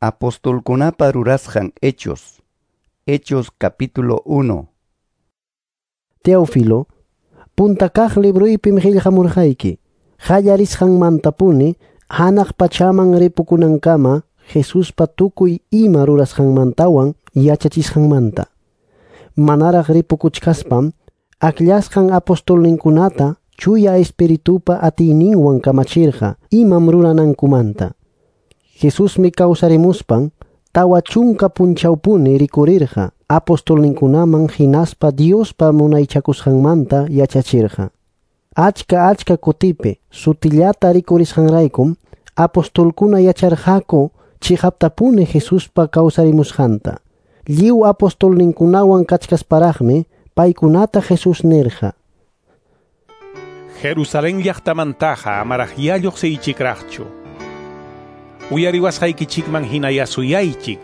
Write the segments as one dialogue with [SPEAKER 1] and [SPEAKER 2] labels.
[SPEAKER 1] Apostolkunapa rurasqan Hechos. Hechos capítulo 1.
[SPEAKER 2] Teófilo, punta kaq libruypim qillqamurqayki, qallarisqanmantapuni hanaq pachaman ripukunankama Jesuspa tukuy ima rurasqanmantawan yachachisqanmanta. Manaraq ripukuchkaspam akllasqan apostolninkunata chuya espiritupa atiyninwan kamachirqa imam ruranankumanta. Jesusmi kawsarimuspan 40 punchawpuni rikurirqa apostolninkunaman hinaspa Diospa munaychakusqanmanta yachachirqa. Achka achka kutipi sutillata rikurisqanraykum apostolkuna yacharqaku chiqaptapuni Jesuspa kawsarimusqanta. Lliw apostolninkunawan kachkasparaqmi paykunata Jesús nirqa:
[SPEAKER 3] Jerusalén llaqtamantaqa amaraq lluqsiychikraqchu. Uyariwasqaykichikman hina yasuyaychik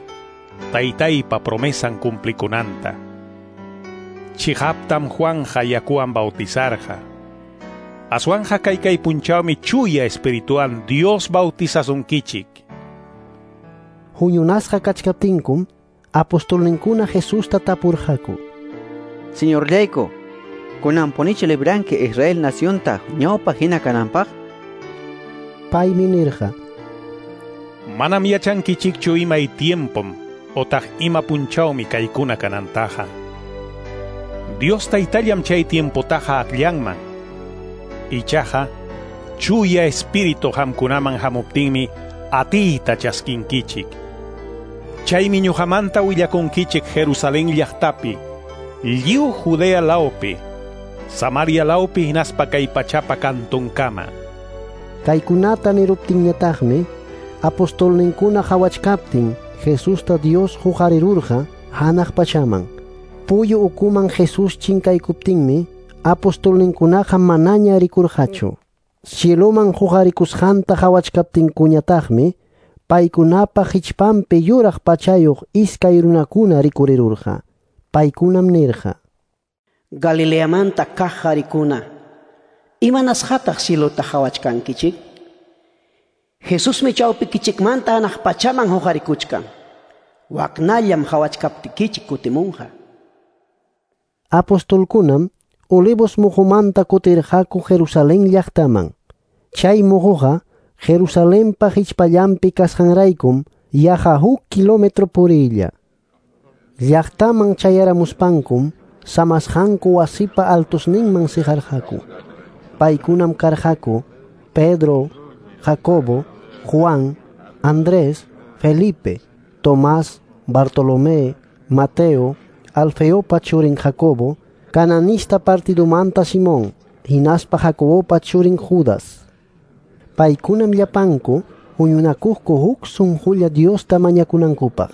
[SPEAKER 3] taytaypa promesan cumplikunanta. Chiqaptam Juanja yakuwan bautizarqa. Aswanja kaykay punchawmi chuya espiritual Dios bautizasunkichik.
[SPEAKER 2] Huñunasqa kachkaptinkum apostolninkuna Jesusta tapurqaku:
[SPEAKER 4] Señorllayku, kunanpunichu libranki Israel nacionta ñawpa hina kananpaq?
[SPEAKER 2] Paymi nirqa:
[SPEAKER 3] Manam yachankichikchu imay tiempom otaq ima punchawmi kaykuna kanantaqa. Dios taytallam chay tiempotaqa akllanman. Ichaqa chuya espíritu hamkunaman hamuptinmi atiyta chaskinkichik. Chaymi ñuqamanta willakunkichik Jerusalén llaqtapi, lliw Judea lawpi, Samaria lawpi hinaspa kay pachapa kantunkama.
[SPEAKER 2] Kaykunata niruptinñataqmi apostolninkuna qhawachkaptin Jesusta Dios huqarirurqa hanaq pachaman. Puyu ukuman Jesús chinkaykuptinmi apostolninkunaqa manaña rikurqachu. Cieloman huqarikusqanta qhawachkaptinkuñataqmi paykunapa hichpanpi yuraq pachayuq iskay runakuna rikurirurqa. Paykunam nirqa:
[SPEAKER 5] Galileamanta kaq qarikuna, imanasqataq cielota qhawachkankichik? Jesusmi chawpikichikmanta hanaq pachaman huqarikuchkan. Waknallam qhawachkaptikichik kutimunqa.
[SPEAKER 2] Apostolkunam Olivos muqumanta kutirqaku Jerusalén llaqtaman. Chay muquqa Jerusalenpa hichpallanpi kasqanraykum yaqa huk kilómetro puriylla. Llaqtaman chayaramuspankum samasqanku wasipa altusninman siqarqaku. Paykunam karqaku Pedro, Jacobo, Juan, Andrés, Felipe, Tomás, Bartolomé, Mateo, Alfeopa churin Jacobo, Cananista partidumanta Simón, hinaspa Jacobopa churin Judas. Paykunam llapanku huñunakuqku huk sunqulla Diosta mañakunankupaq.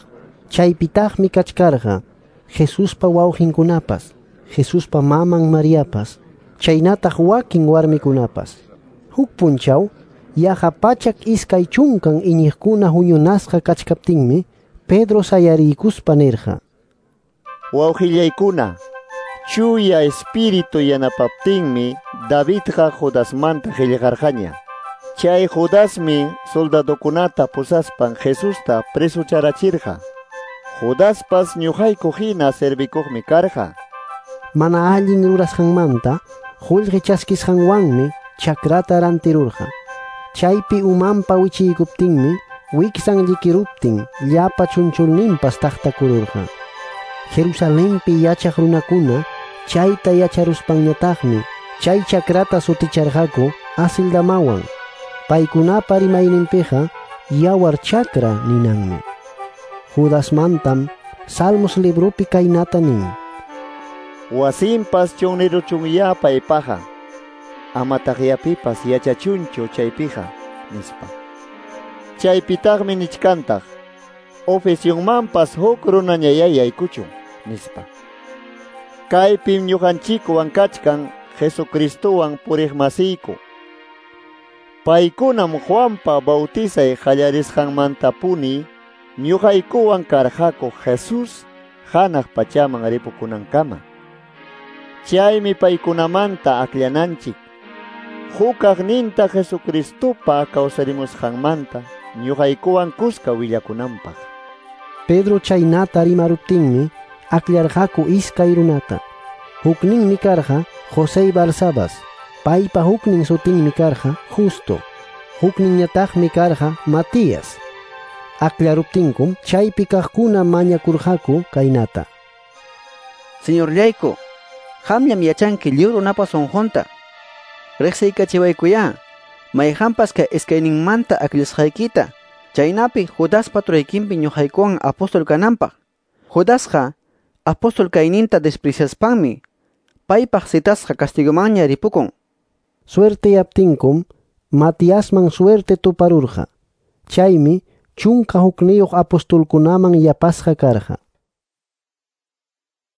[SPEAKER 2] Chaypitaqmi kachkarqa Jesuspa wawqinkunapas, Jesuspa maman Mariapas, chaynataq wakin warmikunapas. Huk punchaw yaqa 120 iñiqkuna huñunasqa kachkaptinmi Pedro sayariykuspa nirqa:
[SPEAKER 6] Wawqillaykuna, chuya espíritu yanapaptinmi Davidqa Judasmanta qillqarqaña. Chay Judasmi soldadokunata pusaspan Jesusta presucharachirqa. Judaspas ñuqayku hina servikuqmi karqa.
[SPEAKER 2] Mana allin rurasqanmanta qullqi chaskisqanwanmi chakrata rantirurqa. Chaypi umanpa wichiykuptinmi wiksan llikiruptin llapa chunchulninpas taqtakururqa. Jerusalenpi yachaq runakuna chayta yacharuspanñataqmi chay chakrata suticharqaku Asildamawan. Paykunapa rimayninpiqa yawar chakra ninanmi. Judasmantam Salmos librupi kaynata nin:
[SPEAKER 6] Wasinpas chunniruchunyá paypaqa, amataqyapipas yachachunchu chaypiqa, nispa. Chaypitaqmi nichkantaq, oficionmanpas huk runañayá yaykuchun, nispa. Kaypim ñuqanchikwan kachkan Jesucristowan puriqmasiyku. Paykunam Juanpa bautizay qallarisqanmantapuni ñuqaykuwan karqaku Jesús hanaq pachaman ripukunankama. Chaymi paykunamanta akllananchik hukaqninta Jesucristopa kawsarimusqanmanta ñuqaykuwan kuska willakunanpaq.
[SPEAKER 2] Pedro chaynata rimaruptinmi akllarqaku iskay runata. Hukninmi karqa José Barsabas, paypa huknin sutinmi karqa Justo, hukninñataqmi karqa Matías. Aklaruptinkum chaypi kaqkuna mañakurqaku kaynata.
[SPEAKER 4] Señorllayku, qamllam yachanki lliw runapa sunqunta. Riqsiykachiwaykuyá, mayqanpas kay iskayninmanta akllasqaykita, chaynapi Judaspa turaykinpi ñuqaykuwan apóstol kananpaq. Judasqa apóstol kayninta despreciaspanmi paypaq citasqa castigomanña ripukun.
[SPEAKER 2] Suerteyaptinkum Matiasman suerte tuparurqa. Chaymi 11 apostolkunaman yapasqa karqa.